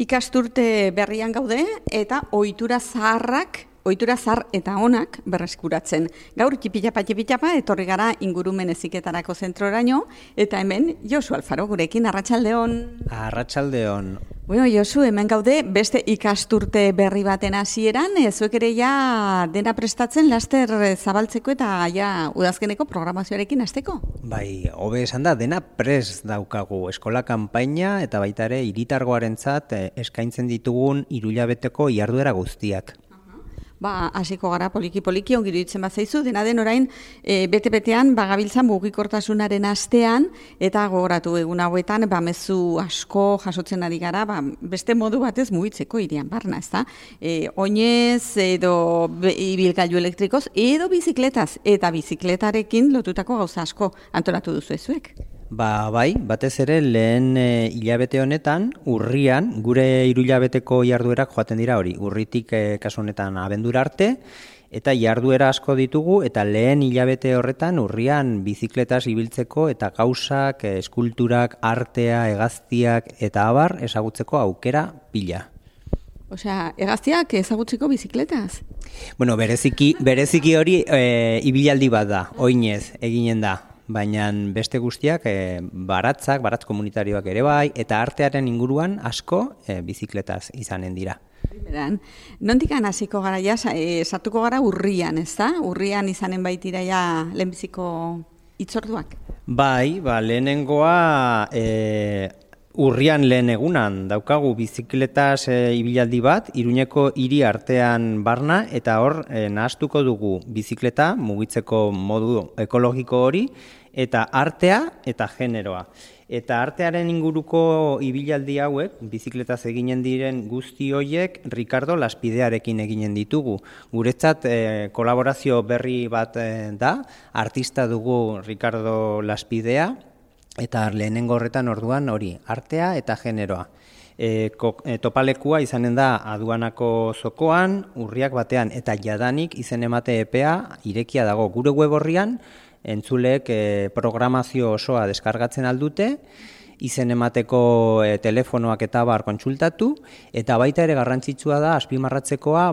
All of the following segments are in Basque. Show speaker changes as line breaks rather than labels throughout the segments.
Ikasturte berrian gaude eta ohitura zahar eta onak berreskuratzen. Gaur tipitapa etorri gara ingurumen heziketarako zentroraino eta hemen Josu Alfaro gurekin, arratsaldeon.
Arratsaldeon.
Bueno, Josu, hemen gaude beste ikasturte berri baten hasieran, zuek ere ja dena prestatzen laster zabaltzeko eta ja udazkeneko programazioarekin hasteko.
Bai, hobe esan da, dena prest daukagu eskola kanpaina eta baita ere hiritargoarentzat eskaintzen ditugun 3 hilabeteko jarduera guztiak.
Hasiko gara poliki ongi iruditzen bazaizu, dena den orain bete-betean bagabiltzan mugikortasunaren astean eta gogoratu egun hauetan mezu asko jasotzen ari gara, beste modu batez mugitzeko hirian barna, ezta? Oinez edo ibilgailu elektrikoz edo bizikletaz eta bizikletarekin lotutako gauza asko antolatu duzu zuek.
Bai, batez ere lehen hilabete honetan, urrian, gure 3 hilabeteko jarduerak joaten dira hori, urritik kasu honetan abendura arte, eta jarduera asko ditugu, eta lehen hilabete horretan urrian bizikletaz ibiltzeko eta gauzak, eskulturak, artea, hegaztiak eta abar ezagutzeko aukera pila.
Osea, hegaztiak ezagutzeko bizikletaz?
Bueno, bereziki hori ibilaldi bat da, oinez eginen da. Baina beste guztiak baratz komunitarioak ere bai, eta artearen inguruan asko bizikletaz izanen dira.
Nondikan hasiko gara ja, sartuko gara urrian, ez da? Urrian izanen baitira ja lehenbiziko hitzorduak?
Bai, lehenengoa urrian lehen egunan daukagu bizikletaz ibilaldi bat, Iruñeko hiri artean barna, eta hor nahastuko dugu bizikleta mugitzeko modu ekologiko hori, eta artea eta generoa. Eta artearen inguruko ibilaldi hauek, bizikletaz eginen diren guzti horiek, Ricardo Laspidearekin eginen ditugu. Guretzat kolaborazio berri bat da, artista dugu Ricardo Laspidea, eta lehenengo horretan orduan hori, artea eta generoa. Topalekua izanen da aduanako zokoan, urriak batean, eta jadanik izen emate epea irekia dago. Gure web horrian, entzuleek programazio osoa deskargatzen aldute, izen emateko telefonoak eta bar kontsultatu, eta baita ere garrantzitsua da azpimarratzekoa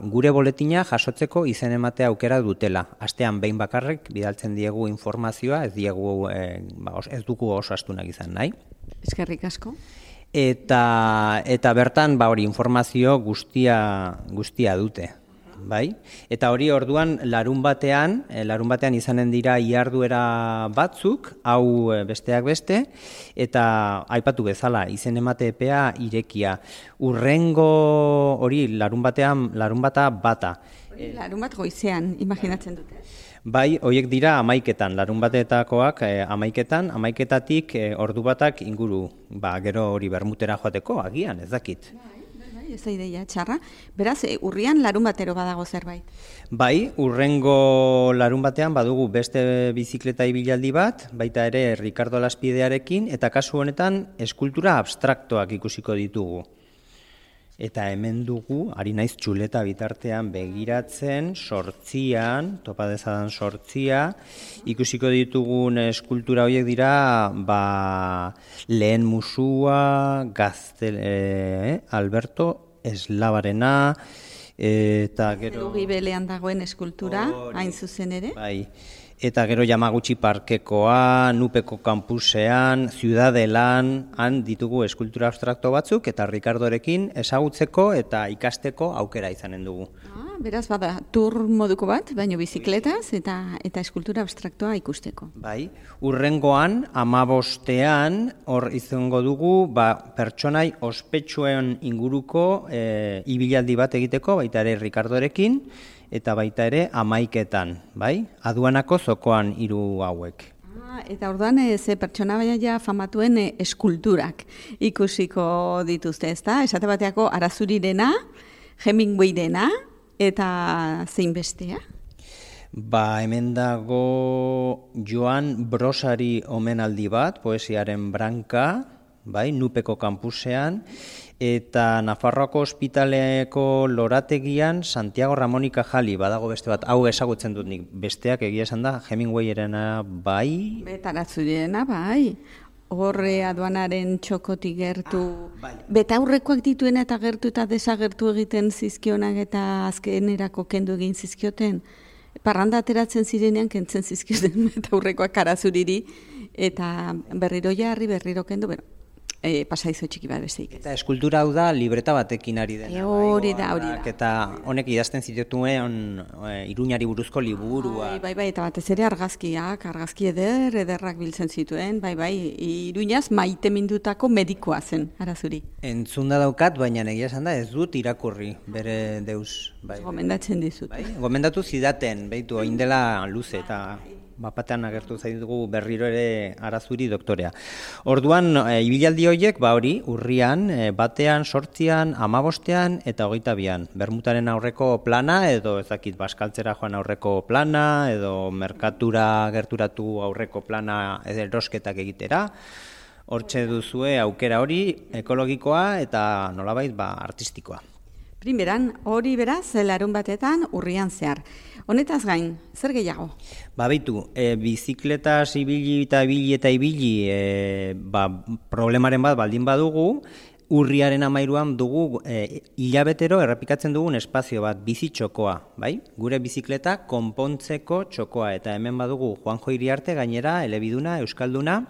gure boletina jasotzeko izen emate aukera dutela. Astean behin bakarrik bidaltzen diegu informazioa, ez dugu oso astunak izan nahi.
Eskerrik asko.
Eta bertan hori informazio guztia dute. Bai? Eta hori orduan larun batean izanen dira iharduera batzuk, hau besteak beste, eta aipatu bezala, izen emate epea irekia. Urrengo hori larun bata bata.
Larun bat goizean, imaginatzen dute.
Bai, horiek dira 11etan, larun batetakoak 11etan, 11etatik ordu batak inguru, gero hori bermutera joateko, agian, ez dakit.
Ez da ideia txarra. Beraz, urrian larun batero badago zerbait.
Bai, urrengo larun batean badugu beste bizikleta ibilaldi bat, baita ere Ricardo Laspidearekin, eta kasu honetan eskultura abstraktoak ikusiko ditugu. Eta hemen dugu, ari naiz txuleta bitartean begiratzen, topa dezadan 8, ikusiko ditugun eskultura horiek dira, lehen musua, Alberto Eslabarena, eta gero...
Gibelean dagoen eskultura, hain zuzen ere.
Bai. Eta gero Yamaguchi Parkekoa, Nupeko kampusean, Ciudadelan, han ditugu eskultura abstrakto batzuk, eta Ricardorekin ezagutzeko eta ikasteko aukera izanen dugu.
Beraz, tur moduko bat, baino bizikletaz eta eskultura abstraktoa ikusteko.
Bai, urrengoan, 15ean, hor izango dugu, pertsonai ospetsuen inguruko ibilaldi bat egiteko, baita ere Ricardorekin, eta baita ere 11etan, bai? Aduanako zokoan 3 hauek.
Eta orduan ze pertsona baina famatuen eskulturak ikusiko dituzte, ezta? Esate bateako Arazurirena, Hemingwayrena eta zein bestea?
Hemen dago Joan Brosari omenaldi bat, poesiaren branka, bai, Nupeko kampusean, eta Nafarroako ospitaleko lorategian Santiago Ramón y Cajali, badago beste bat, hau ezagutzen dut nik, besteak egia esan da, Hemingwayerena bai.
Arazurirena bai. horre aduanaren txokotik gertu, betaurrekoak dituena eta gertu eta desagertu egiten zizkionak eta azkenerako kendu egin zizkioten. Parranda ateratzen zirenean kentzen zizkioten betaurrekoak karazuriri eta berriro jarri, berriro kendu, pasaizo txiki bat besteik.
Eta eskultura hau da libreta batekin ari dena.
Hori da.
Eta honek idazten zituen Iruñari buruzko liburua.
Bai, eta batez ere argazki ederrak biltzen zituen, Iruñaz maite mindutako medikoa zen, Arazuri.
Entzunda daukat, baina egia esan da ez dut irakurri bere deus.
Gomendatzen dizut.
Gomendatu zidaten, behitu, oindela luze eta bapatean agertu zaidugu berriro ere Arazuri doktorea. Orduan, ibilaldi horiek, hori, urrian, batean, 8an, 15an eta 22an. Bermutaren aurreko plana, edo ezakit Baskaltzera joan aurreko plana, edo merkatura gerturatu aurreko plana erosketak egitera. Hortxe duzue aukera hori ekologikoa eta nolabait artistikoa.
Primeran, hori beraz, larun batetan urrian zehar. Honetaz gain, zer gehiago?
Beitu, bizikletaz ibili, problemaren bat baldin badugu, urriaren 13an dugu hilabetero errepikatzen dugun espazio bat, bizitxokoa, bai? Gure bizikleta konpontzeko txokoa, eta hemen badugu Juanjo Iriarte gainera, elebiduna, euskalduna,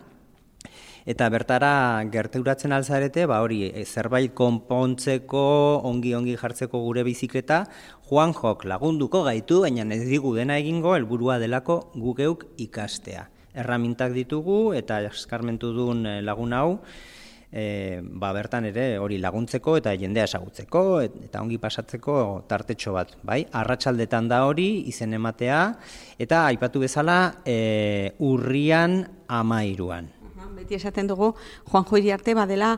eta bertara gerturatzen alzarete, hori, zerbait konpontzeko, ongi jartzeko gure bizikleta, Juanjok lagunduko gaitu, baina ez digu dena egingo, helburua delako gugeuk ikastea. Erramintak ditugu, eta eskarmentu duen lagun hau, bertan ere hori laguntzeko eta jendea esagutzeko, eta ongi pasatzeko tartetxo bat, bai? Arratsaldetan da hori, izen ematea, eta aipatu bezala urrian 13an.
Beti esaten dugu, Juanjo Iriarte badela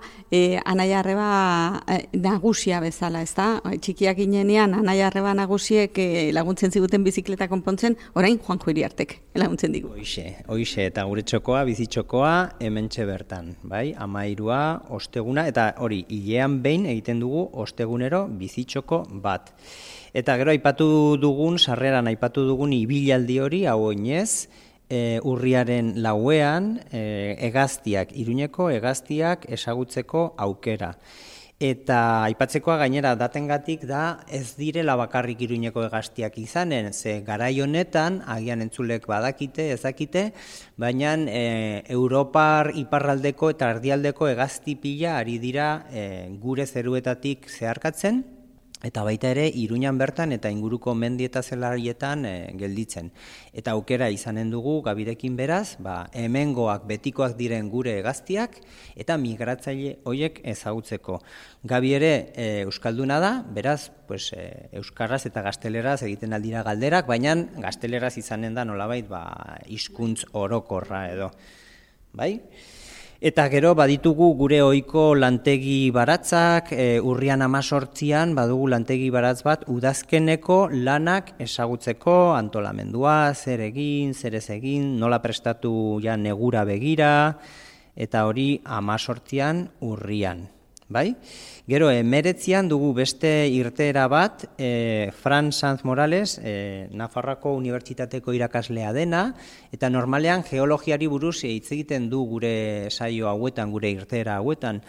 Anaia Arreba nagusia bezala, ezta? Txikiak ginenean Anaia Arreba nagusiek laguntzen ziguten bizikleta konpontzen, orain Juanjo Iriartek laguntzen digu.
Hoixe, eta gure txokoa, bizitxokoa, hementxe bertan, bai? 13a, osteguna, eta hori, hilean behin egiten dugu ostegunero bizitxoko bat. Eta gero sarreran aipatu dugun ibilaldi hori, hau oinez, urriaren 4an Iruñeko hegaztiak ezagutzeko aukera. Eta aipatzekoa gainera datengatik da ez direla bakarrik Iruñeko hegaztiak izanen, ze garai honetan agian entzulek badakite, ezakite, baina Europar iparraldeko eta erdialdeko hegazti pila ari dira gure zeruetatik zeharkatzen, eta baita ere Iruñan bertan eta inguruko mendi eta zelarietan gelditzen. Eta aukera izanen dugu gabirekin beraz, hemengoak betikoak diren gure hegaztiak eta migratzaile horiek ezagutzeko. Gabi ere euskalduna da, beraz, euskaraz eta gazteleraz egiten aldira galderak, baina gazteleraz izanen da nolabait hizkuntz orokorra edo. Bai? Eta gero baditugu gure ohiko lantegi baratzak, urrian 18an badugu lantegi baratz bat udazkeneko lanak ezagutzeko, antolamendua, zer egin, zer ez egin, nola prestatu negura begira, eta hori 18an urrian. Bai? Gero, 19an dugu beste irteera bat, Fran Sanz Morales, Nafarroako Unibertsitateko irakaslea dena, eta normalean geologiari buruz hitz egiten du gure saio hauetan, gure irteera hauetan.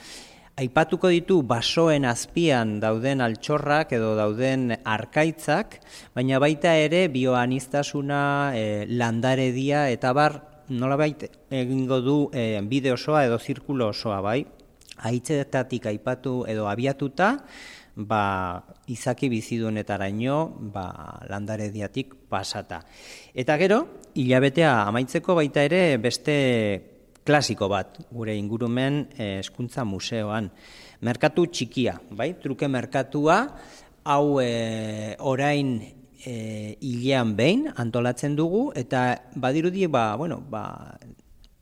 Aipatuko ditu basoen azpian dauden altxorrak edo dauden arkaitzak, baina baita ere bioaniztasuna, landaredia eta nolabait egingo du bide osoa edo zirkulo osoa, bai? Haitzetatik aipatu edo abiatuta, izaki bizidunetaraino landarediatik pasata. Eta gero, hilabetea amaitzeko baita ere beste klasiko bat, gure ingurumen hezkuntza museoan. Merkatu txikia, bai? Truke merkatua, hau orain hilean behin antolatzen dugu, eta badirudi,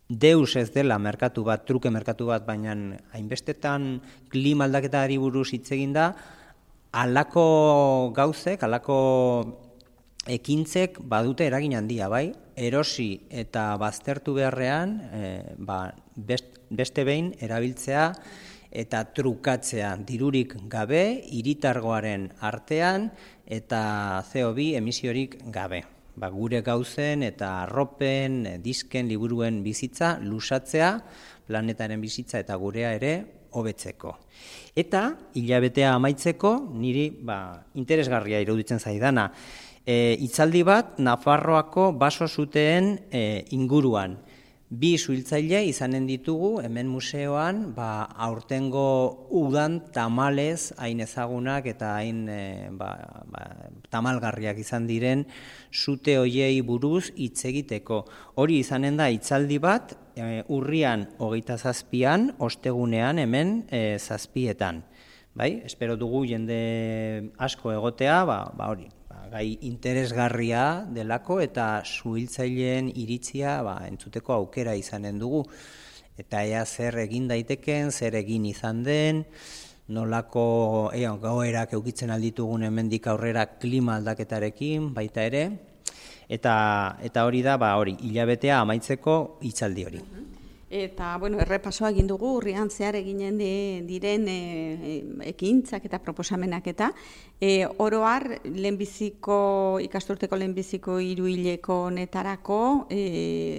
deus ez dela merkatu bat, truke merkatu bat, baina hainbestetan klima aldaketari buruz hitz egin da, halako gauzek, halako ekintzek badute eragin handia, bai? Erosi eta baztertu beharrean, beste behin erabiltzea eta trukatzea dirurik gabe, hiritargoaren artean eta CO2 emisiorik gabe. gure gauzen eta arropen, disken, liburuen bizitza lusatzea, planetaren bizitza eta gurea ere hobetzeko. Eta hilabetea amaitzeko niri interesgarria iruditzen zaidana. Hitzaldi bat Nafarroako baso zuteen inguruan. 2 suhiltzaile izanen ditugu hemen museoan, aurtengo udan tamalez hain ezagunak eta hain tamalgarriak izan diren sute hoiei buruz hitz egiteko. Hori izanen da hitzaldi bat urrian 27an, ostegunean hemen 7etan. Bai, espero dugu jende asko egotea, hori. Gai interesgarria delako eta suhiltzaileen iritzia entzuteko aukera izanen dugu. Eta ea zer egin daiteken, zer egin izan den, nolako goerak eukitzen alditugun hemendik aurrera klima aldaketarekin baita ere. Eta hori da, hilabetea amaitzeko hitzaldi hori.
Eta, errepasoa egin dugu, urrian zehar eginen diren ekintzak eta proposamenak eta oro har, ikasturteko lehenbiziko 3 hileko netarako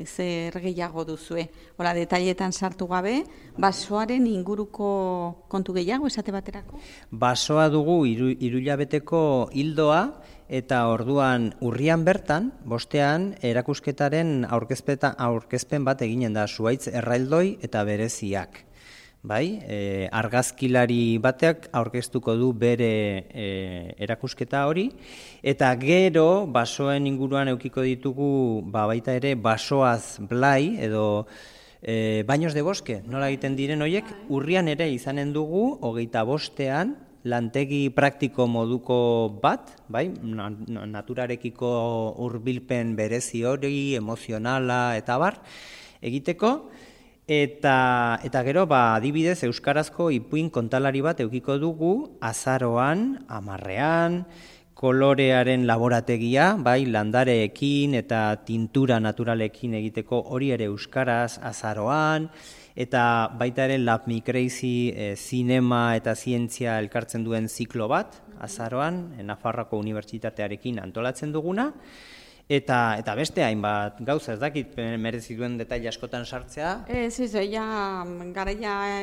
zer gehiago duzue. Hola, detailetan sartu gabe, basoaren inguruko kontu gehiago esate baterako?
Basoa dugu 3 hilabeteko hildoa, eta orduan urrian bertan, bostean, erakusketaren aurkezpen bat eginen da, zuhaitz erraildoi eta bereziak. Argazkilari batek aurkeztuko du bere erakusketa hori, eta gero basoen inguruan eukiko ditugu baita ere basoaz blai edo baños de bosque, nola egiten diren horiek, urrian ere izanen dugu 25ean, lantegi praktiko moduko bat, naturarekiko hurbilpen berezi hori, emozionala eta egiteko, eta gero, adibidez, euskarazko ipuin kontalari bat eukiko dugu, azaroan, 10ean, kolorearen laborategia, landareekin eta tintura naturalekin egiteko hori ere euskaraz azaroan, eta baita ere Lab Me Crazy zinema eta zientzia elkartzen duen ziklo bat, azaroan, Nafarroako Unibertsitatearekin antolatzen duguna, eta beste hainbat gauza, ez dakit merezi duen detaile askotan sartzea.
Garaia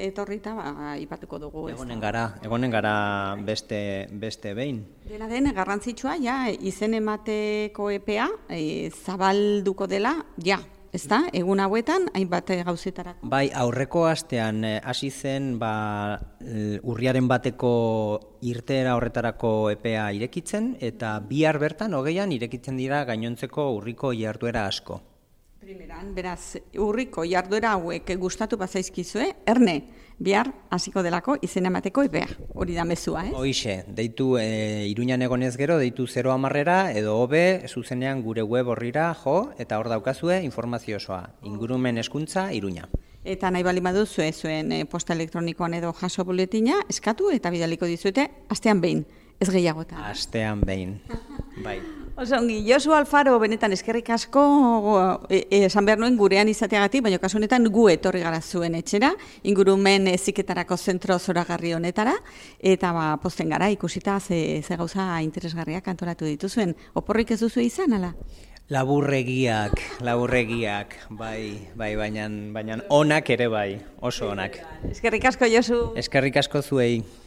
etorrita aipatuko dugu.
Egonen gara beste behin.
Dena den, garrantzitsua, izen emateko epea zabalduko dela, ezta, egun hauetan, hainbat gauzetarako.
Aurreko astean hasi zen urriaren bateko irteera horretarako epea irekitzen, eta bihar bertan, 20an, irekitzen dira gainontzeko urriko jarduera asko.
Primeran, beraz, urriko jarduera hauek gustatu bazaizkizue, erne, bihar hasiko delako izen emateko epea. Hori da mezua,
Hoixe, deitu Iruñan egonez gero, deitu 010era, edo hobe, zuzenean gure web horrira jo, eta hor daukazue informazio osoa. Ingurumen hezkuntza Iruña.
Eta nahi bali baduzue zuen posta elektronikoan edo jaso buletina, eskatu eta bidaliko dizuete, astean behin, ez gehiagotan.
Astean behin, bai.
Oso ongi, Josu Alfaro, benetan eskerrik asko, esan behar nuen gurean izateagatik, baina kasu honetan gu etorri gara zuen etxera, ingurumen heziketarako zentro zoragarri honetara, eta pozten gara ikusita ze gauza interesgarriak antolatu dituzuen. Oporrik ez duzu izan, ala?
Laburregiak, baina onak ere bai, oso onak.
Eskerrik asko, Josu.
Eskerrik asko zuei.